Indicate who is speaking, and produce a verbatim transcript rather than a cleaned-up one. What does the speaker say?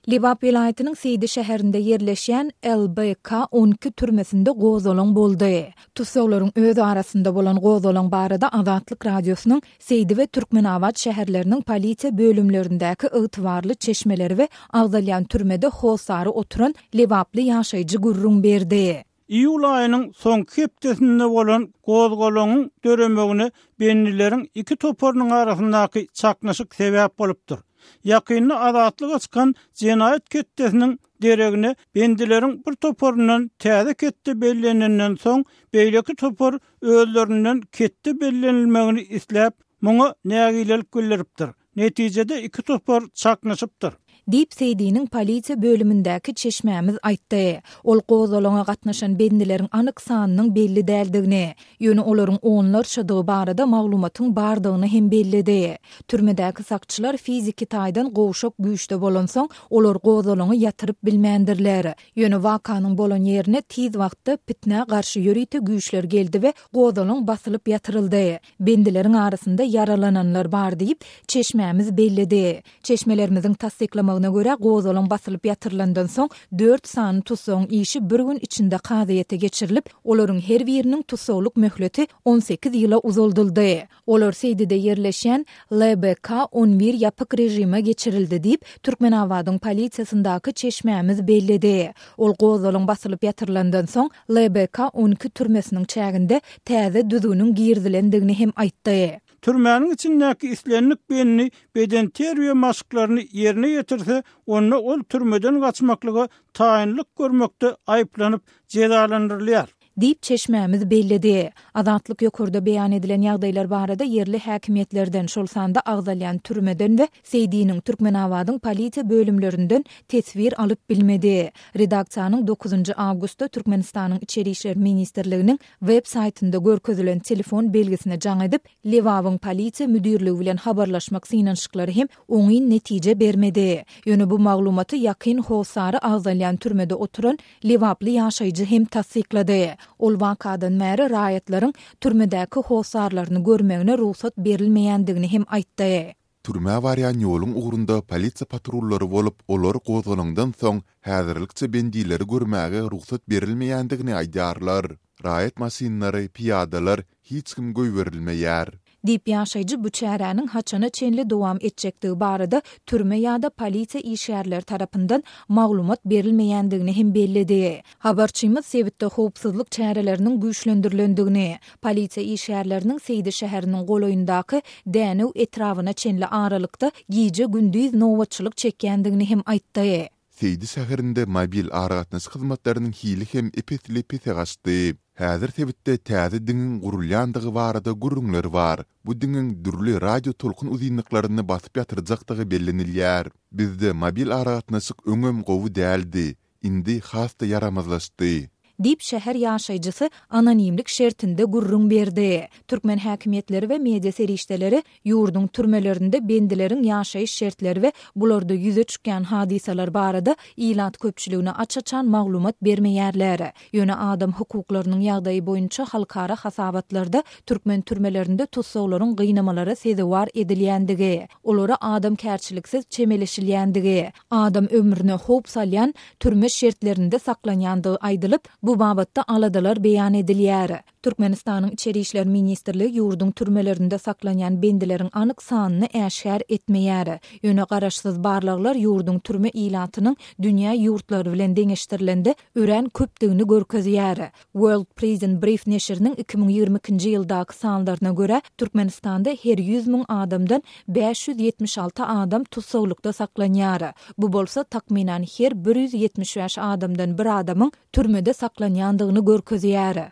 Speaker 1: Lebap welaýatynyň Seýdi şäherinde ýerleşýän L B K on iki türmesinde gozgalaň boldy. Tussaglaryň öz arasynda bolan gozgalaň barada Azatlyk Radiosynyň Seýdi we Türkmenabat şäherleriniň polisiýa bölümlerindäki ygtybarly çeşmeleri we agzalýan türmede hossary oturan lebaply ýaşaýjy gürrüň berdi.
Speaker 2: Iýul aýynyň soňky hepdesinde bolan gozgalaňyň döremegine bendileriň iki toparynyň arasyndaky çaknyşyk sebäp bolupdyr. Ýakynda azatlyga çykan jenaýat ketdesiniň deregine bendileriň bir toparyndan täze ketde bellenenden soň, beýleki topar özlerinden ketde bellenilmegini isläp, muňa nägilelik bildiripdir. Netijede iki topar çaknyşypdyr.
Speaker 1: Diýip, Seýdiniň polisiýa bölümindäki çeşmämiz aýtdy. Ol gozgalaňa gatnaşan bendileriň anyk sanynyň belli däldigini, ýöne olaryň onlarçadygy barada maglumatyň bardygyny hem belledi. Türmedäki sakçylar fiziki taýdan gowşak güýçde bolansoň, olar gozgalaňy ýatyryp bilmändirler. Ýöne wakanyň bolan ýerine tiz wagtda pitnä garşy ýörite güýçler geldi we gozgalaň basylyp ýatyryldy. Bendileriň arasynda ýaralananlar bar diýip, çeşmämiz belledi. Çeşmelerimiziň tassyklamagyna görä, gozgalaň basylyp ýatyrylandan soň dört sany tussagyň işi bir gün içinde kazyýete geçirilip, olaryň her biriniň tussaglyk möhleti on sekiz ýyla uzaldyldy. Olar Seýdide ýerleşýän L B K on bir ýapyk režime geçirildi diýip, Türkmenabadyň polisiýasyndaky çeşmämiz belledi. Ol gozgalaň basylyp ýatyrylandan soň L B K on iki türmesiniň çäginde täze düzgüniň girizilendigini hem aýtdy.
Speaker 2: Türmäniň içindäki islendik bendi bedenterbiýe maşklaryny ýerine ýetirse, onda ol türmeden gaçmaklyga taýynlyk görmekde aýyplanyp jezalandyrylýar.
Speaker 1: Diýip, çeşmämiz belledi. Azatlyk ýokarda beýan edilen ýagdaýlar barada ýerli häkimiýetlerden, şol sanda agzalýan türmeden we Seýdiniň, Türkmenabadyň polisiýa bölümlerinden teswir alyp bilmedi. Redaksiýanyň dokuzynjy awgustda Türkmenistanyň Içeri işler ministrliginiň web saýtynda görkezilen telefon belgisine jaň edip, Lebabyň polisiýa müdirligi bilen habarlaşmak synanyşyklary hem oňyn netije bermedi. Ýöne bu maglumaty ýakyn hossary agzalýan türmede oturan lebaply ýaşaýjy hem tassyklady. Ol wakadan bäri raýatlaryň türmedäki hossarlaryny görmegine rugsat berilmeýändigini hem aýtdy.
Speaker 3: Türmä barýan ýoluň ugrunda polisiýa patrullary bolup, olar gozgalaňdan soň häzirlikçe bendileri görmäge rugsat berilmeýändigini aýdýarlar. Raýat maşynlary, pyýadalar hiç kim goýberilmeýär.
Speaker 1: Diýip, ýaşaýjy bu çäräniň haçana çenli dowam etjekdigi barada türme ýa-da polisiýa işgärleri tarapyndan maglumat berilmeýändigini hem belledi. Habarçymyz sebitde howpsuzlyk çäreleriniň güýçlendirilendigini, polisiýa işgärleriniň Seýdi şäheriniň golaýyndaky Dänew etrabyna çenli aralykda gije-gündiz nobatçylyk çekýändigini hem aýtdy.
Speaker 3: Seýdi şäherinde mobil aragatnaşyk hyzmatlarynyň hili hem ep-esli pese gaçdy. Häzir sebitde täze diňiň gurulýandygy barada gürrüňler bar. Bu diňiň dürli radio tolkun uzynlyklaryny basyp ýatyrjakdygy bellenilýär. Bizde mobil aragatnaşyk öňem gowy däldi, indi has-da ýaramazlaşdy.
Speaker 1: Diýip, şäher ýaşaýjysy anonimlik şertinde gürrüň berdi. Türkmen häkimiýetleri we media serişdeleri ýurduň türmelerinde bendileriň ýaşaýyş şertleri we bularda ýüze çykýan hadysalar barada ilat köpçüligine aç-açan maglumat bermeýärler. Ýöne adam hukuklarynyň ýagdaýy boýunça halkara hasabatlarda türkmen türmelerinde tussaglaryň gynamalara sezewar edilýändigi, olara adamkärçiliksiz çemeleşilýändigi, adam ömrüne howp salýan türme şertlerinde saklanýandygy aýdylyp, bu babatda aladalar beýan edilýär. Türkmenistanyň Içeri işler ministrligi ýurduň türmelerinde saklanýan bendileriň anyk sanyny äşgär etmeýär. Ýöne garaşsyz barlaglar ýurduň türme ilatynyň dünýä ýurtlary bilen deňeşdirilende örän köpdügini görkezýär. World Prison Brief neşiriniň iki müň ýigrimi ikinji ýyldaky sanlaryna görä, Türkmenistanda her ýüz müň adamdan bäş ýüz ýetmiş alty adam tussaglykda saklanýar. Bu bolsa takmynan her bir ýüz ýetmiş bäş adamdan bir adamyň türmede saklanýandygyny görkezýär.